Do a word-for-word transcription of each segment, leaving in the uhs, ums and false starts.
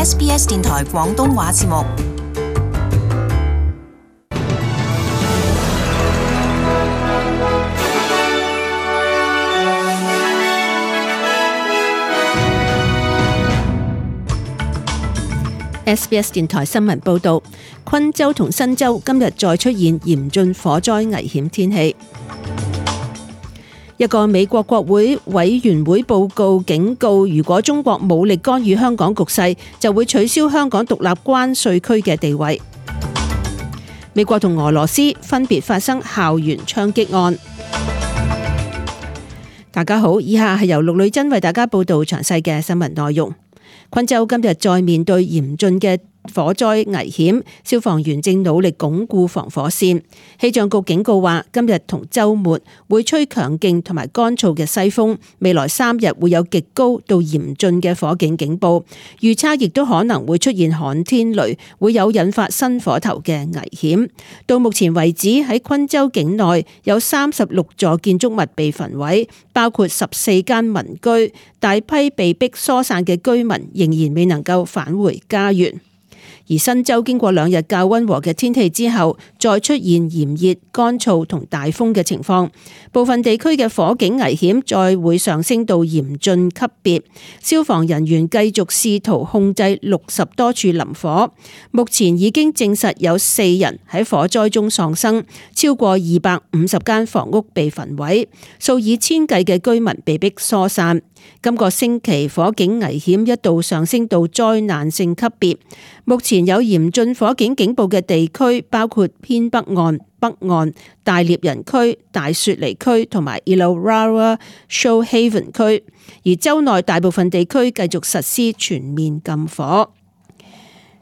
S B S 電台廣東話節目。S B S 電台新聞報道，昆州同新州今日再出現嚴峻火災危險天氣。一個美國國會委員會報告警告，如果中國武力干預香港局勢，就會取消香港獨立關稅區嘅地位。美國同俄羅斯分別發生校園槍擊案。大家好，以下係由陸女真為大家報道詳細嘅新聞內容。昆州今日再面對嚴峻嘅火災危險，消防員正努力鞏固防火線。氣象局警告話，今日同週末會吹強勁同埋乾燥嘅西風，未來三日會有極高到嚴峻嘅火警警報。預測亦都可能會出現旱天雷，會有引發新火頭嘅危險。到目前為止，喺昆州境內有三十六座建築物被焚毀，包括十四間民居，大批被逼疏散嘅居民仍然未能夠返回家園。而新州經過兩日較溫和嘅天氣之後，再出現炎熱、乾燥同大風嘅情況，部分地區嘅火警危險再會上升到嚴峻級別。消防人員繼續試圖控制六十多處林火，目前已經證實有四人喺火災中喪生，超過二百五十間房屋被焚毀，數以千計嘅居民被迫疏散。今個星期火警危險一度上升到災難性級別，目前有嚴峻火警警報嘅地區包括偏北岸、北岸、大獵人區、大雪梨區同埋 Illawarra Shoalhaven 區，而州內大部分地區繼續實施全面禁火。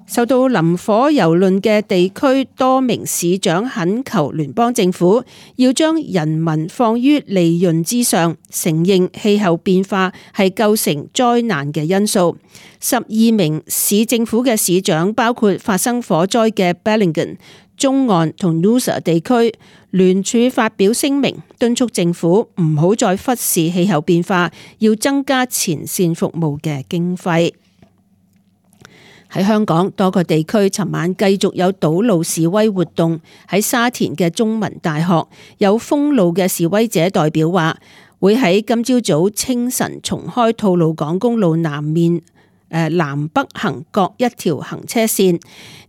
受到林火蹂躪嘅地區，多名市長懇求聯邦政府要將人民放於利潤之上，承認氣候變化係構成災難嘅因素。十二名市政府嘅市長，包括發生火災嘅 Bellingham、中岸同 Noosa 地區，聯署發表聲明，敦促政府唔好再忽視氣候變化，要增加前線服務嘅經費。喺香港多個地區，尋晚繼續有堵路示威活動。喺沙田嘅中文大學，有封路嘅示威者代表話，會喺今朝早清晨重開吐露港公路南面誒南北行各一條行車線。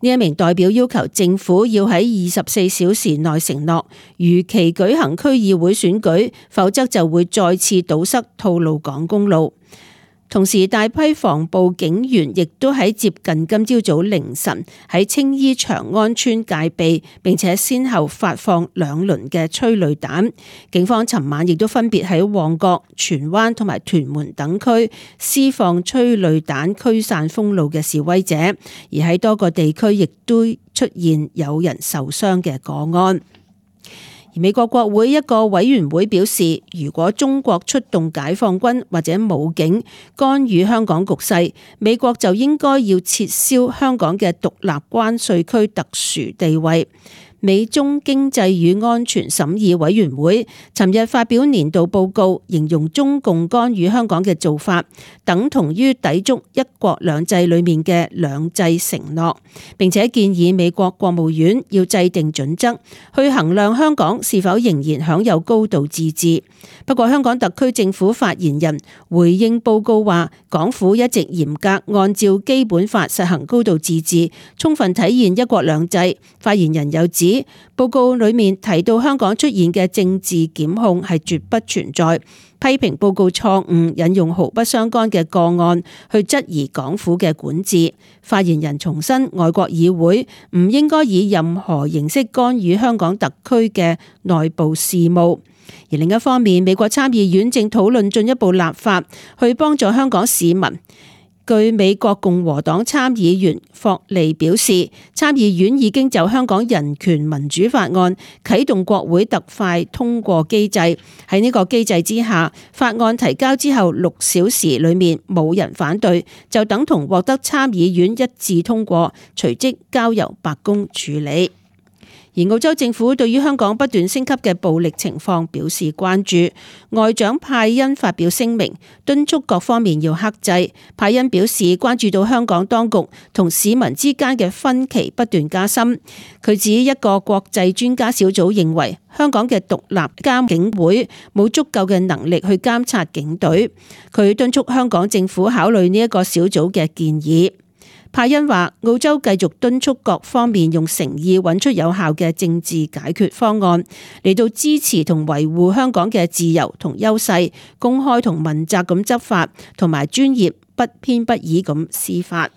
呢一名代表要求政府要喺二十四小時內承諾如期舉行區議會選舉，否則就會再次堵塞吐露港公路。同時，大批防暴警員亦都喺接近今朝早凌晨喺青衣長安村戒備，並且先後發放兩輪嘅催淚彈。警方尋晚亦都分別喺旺角、荃灣同埋屯門等區施放催淚彈驅散封路嘅示威者，而喺多個地區亦都出現有人受傷嘅個案。而美國國會一個委員會表示，如果中國出動解放軍或者武警干預香港局勢，美國就應該要撤銷香港嘅獨立關稅區特殊地位。美中經濟與安全審議委員會尋日發表年度報告，形容中共干預香港嘅做法等同於抵觸一國兩制裏面嘅兩制承諾，並且建議美國國務院要制定準則去衡量香港是否仍然享有高度自治。不過香港特區政府發言人回應報告話，港府一直嚴格按照基本法實行高度自治，充分體現一國兩制。發言人又指，報告裏面提到香港出現嘅政治檢控係絕不存在，批評報告錯誤引用毫不相干嘅個案去質疑港府嘅管治。發言人重申，外國議會唔應該以任何形式干預香港特區嘅內部事務。而另一方面，美國參議院正討論進一步立法去幫助香港市民。據美國共和黨參議員霍利表示，參議院已經就香港人權民主法案啟動國會特快通過機制。喺呢個機制之下，法案提交之後六小時裏面冇人反對，就等同獲得參議院一致通過，隨即交由白宮處理。而澳洲政府對於香港不斷升級嘅暴力情況表示關注，外長派恩發表聲明，敦促各方面要克制。派恩表示關注到香港當局同市民之間嘅分歧不斷加深。佢指一個國際專家小組認為香港嘅獨立監警會冇足夠嘅能力去監察警隊。佢敦促香港政府考慮呢一個小組嘅建議。派恩話：澳洲繼續敦促各方面用誠意揾出有效嘅政治解決方案，嚟到支持同維護香港嘅自由同優勢，公開同問責咁執法，同埋專業不偏不倚咁司法。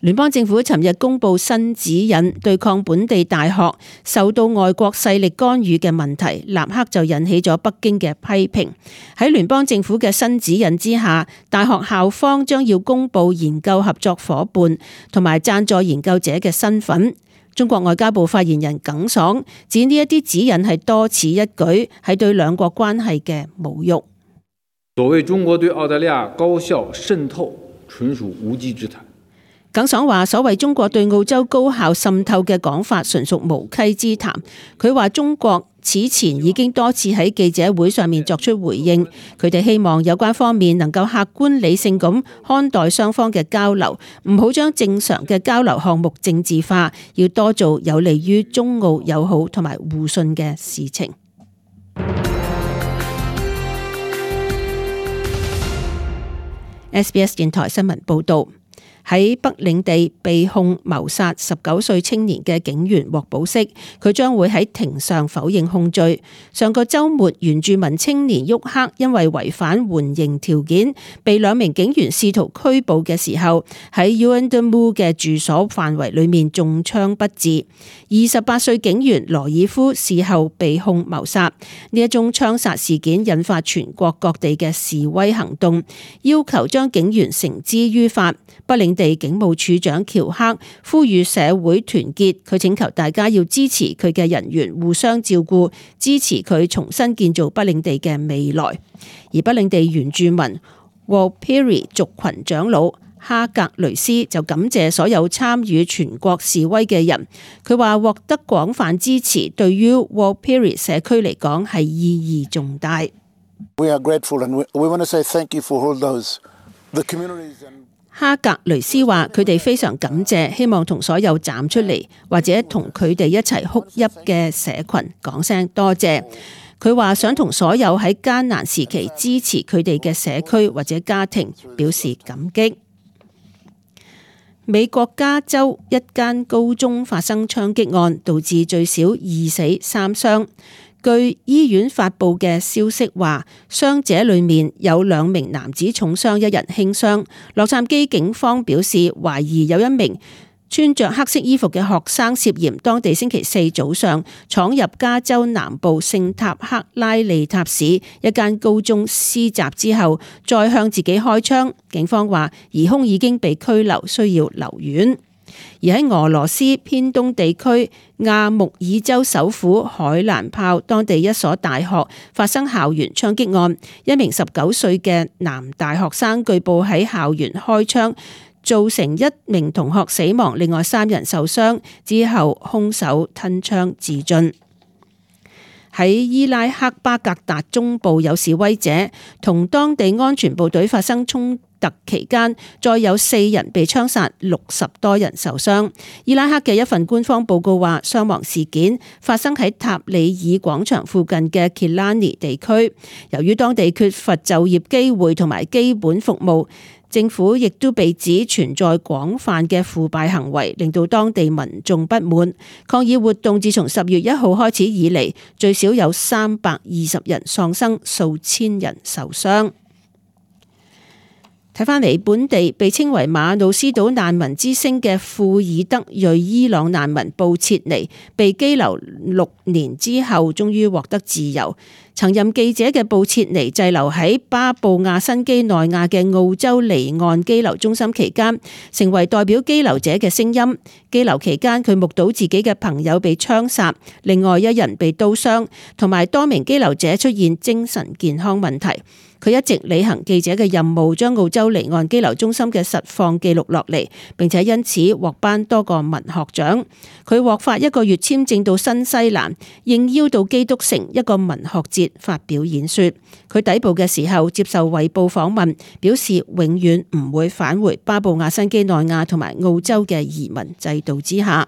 聯邦政府尋日公布新指引，對抗本地大學受到外國勢力干預嘅問題，立刻就引起咗北京嘅批評。喺聯邦政府嘅新指引之下，大學校方將要公布研究合作夥伴同埋贊助研究者嘅身份。中國外交部發言人耿爽指呢一啲指引係多此一舉，係對兩國關係嘅侮辱。所謂中國對澳大利亞高校滲透，純屬無稽之談。耿爽話：所謂中國對澳洲高校滲透嘅講法，純屬無稽之談。佢話中國此前已經多次喺記者會上面作出回應，佢哋希望有關方面能夠客觀理性咁看待雙方嘅交流，唔好將正常嘅交流項目政治化，要多做有利於中澳友好同埋互信嘅事情。S B S 電台新聞報道。喺北領地被控謀殺十九歲青年嘅警員獲保釋，佢將會喺庭上否認控罪。上個週末，原住民青年沃克因為違反緩刑條件，被兩名警員試圖拘捕嘅時候，喺 Yuendamu 嘅住所範圍裏面中槍不治。二十八歲警員羅爾夫事後被控謀殺。呢一宗槍殺事件引發全國各地嘅示威行動，要求將警員繩之於法。北領地警務處長喬克呼籲社會團結，佢請求大家要支持佢嘅人員互相照顧，支持佢重新建造北領地嘅未來。而北領地原住民 Warlpiri 族群長老哈格雷斯就感謝所有參與全國示威嘅人，佢話獲得廣泛支持對於 Warlpiri 社區嚟講係意義重大。We are grateful and we want to say thank you for all those the communities and哈格雷斯話：佢哋非常感謝，希望同所有站出嚟或者同佢哋一齊哭泣嘅社群講聲多謝。佢話想同所有喺艱難時期支持佢哋嘅社區或者家庭表示感激。美國加州一間高中發生槍擊案，導致最少二死三傷。據醫院發布嘅消息話，傷者裏面有兩名男子重傷，一人輕傷。洛杉磯警方表示，懷疑有一名穿着黑色衣服嘅學生涉嫌當地星期四早上闖入加州南部聖塔克拉利塔市一間高中施襲之後，再向自己開槍。警方話，疑兇已經被拘留，需要留院。而喺俄羅斯偏東地區亞穆爾州首府海蘭泡當地一所大學發生校園槍擊案，一名十九歲嘅男大學生據報喺校園開槍，造成一名同學死亡，另外三人受傷，之後兇手吞槍自盡。喺伊拉克巴格達中部有示威者同當地安全部隊發生衝突期間，再有四人被槍殺，六十多人受傷。伊拉克嘅一份官方報告話，傷亡事件發生喺塔里爾廣場附近嘅 Killarney 地區。由於當地缺乏就業機會同埋基本服務，政府亦都被指存在廣泛嘅腐敗行為，令到當地民眾不滿。抗議活動自從十月一號開始以嚟，最少有三百二十人喪生，數千人受傷。睇返嚟，本地被稱為馬努斯島難民之星嘅庫爾德裔伊朗難民布切尼，被羈留六年之後，終於獲得自由。曾任記者嘅布切尼滯留喺巴布亞新畿內亞嘅澳洲離岸羈留中心期間，成為代表羈留者嘅聲音。羈留期間，佢目睹自己嘅朋友被槍殺，另外一人被刀傷，同埋多名羈留者出現精神健康問題。佢一直履行記者嘅任務，將澳洲離岸羈留中心嘅實況記錄落嚟，並且因此獲頒多個文學獎。佢獲發一個月簽證到新西蘭，應邀到基督城一個文學節發表演說。佢抵埗嘅時候接受衛報訪問，表示永遠唔會返回巴布亞新畿內亞同埋澳洲嘅移民制度之下。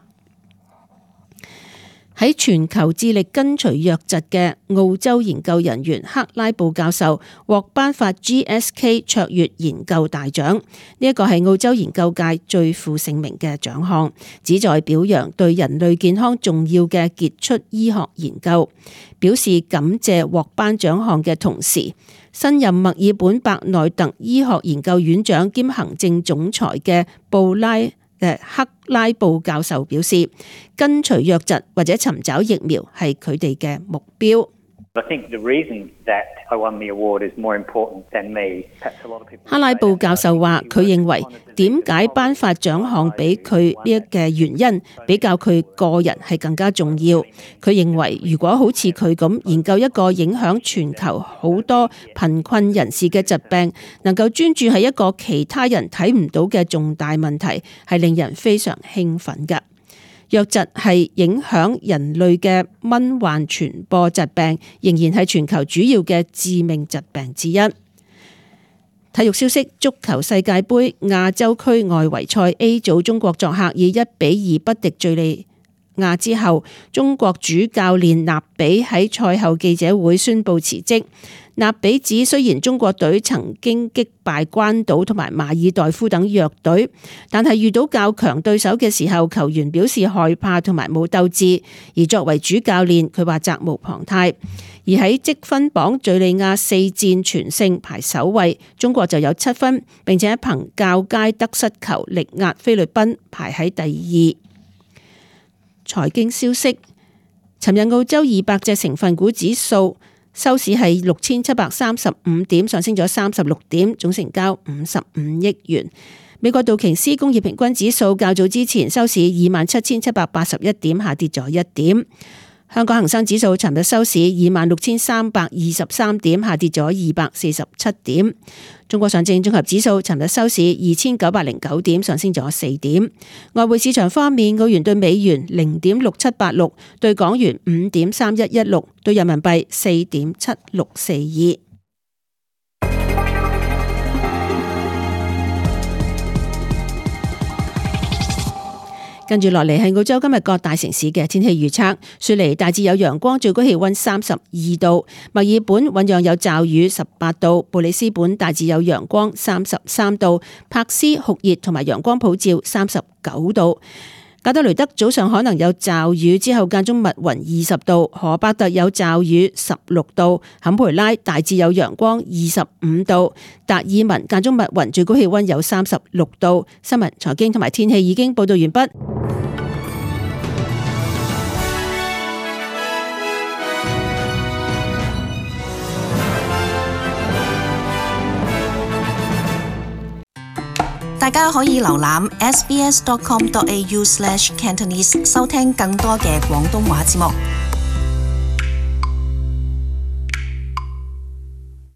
喺全球致力根除瘧疾嘅澳洲研究人員克拉布教授獲頒發 G S K 卓越研究大獎，呢一個係澳洲研究界最負盛名嘅獎項，旨在表揚對人類健康重要嘅傑出醫學研究。表示感謝獲頒獎項嘅同時，新任墨爾本伯內特醫學研究院長兼行政總裁嘅布拉克拉布教授表示，根除瘧疾或者尋找疫苗係佢哋嘅目標。克拉布教授話，佢認為點解頒發獎項俾佢呢一嘅原因，比較佢個人係更加重要。佢認為，如果好似佢咁研究一個影響全球好多貧困人士嘅疾病，能夠專注喺一個其他人睇唔到嘅重大問題，係令人非常興奮嘅。瘧疾係影響人類嘅蚊患傳播疾病，仍然係全球主要嘅致命疾病之一。體育消息：足球世界盃亞洲區外圍賽 A 組，中國作客以一比二不敵敘利亞之後，中國主教練納比喺賽後記者會宣布辭職。納比指，雖然中國隊曾經擊敗關島同埋馬爾代夫等弱隊，但係遇到較強對手嘅時候，球員表示害怕同埋冇鬥志。而作為主教練，佢話責無旁貸。而喺積分榜，敘利亞四戰全勝排首位，中國就有七分，並且憑較佳得失球力壓菲律賓排喺第二。財經消息：尋日澳洲二百隻成分股指數收市係六千七百三十五點，上升咗三十六點，總成交五十五億元。美國道瓊斯工業平均指數較早之前收市二萬七千七百八十一點，下跌咗一點。香港恒生指數尋日收市二萬六千三百二十三點，下跌咗二百四十七點。中國上證綜合指數尋日收市二千九百零九點，上升咗四點。外匯市場方面，澳元對美元零點六七八六，對港元五點三一一六，對人民幣四點七六四二。跟住落嚟係澳洲今日各大城市嘅天氣預測。雪梨大致有陽光，最高氣溫三十二度；墨爾本醞釀有驟雨，十八度；布里斯本大致有陽光，三十三度；柏斯酷熱同埋陽光普照，三十九度；加德雷德早上可能有驟雨，之後間中密雲，二十度；荷伯特有驟雨，十六度；坎培拉大致有陽光，二十五度；達爾文間中密雲，最高氣溫有三十六度。新聞、財經同埋天氣已經報道完畢。大家可以瀏覽 s b s dot com dot a u slash cantonese 收聽更多嘅廣東話節目。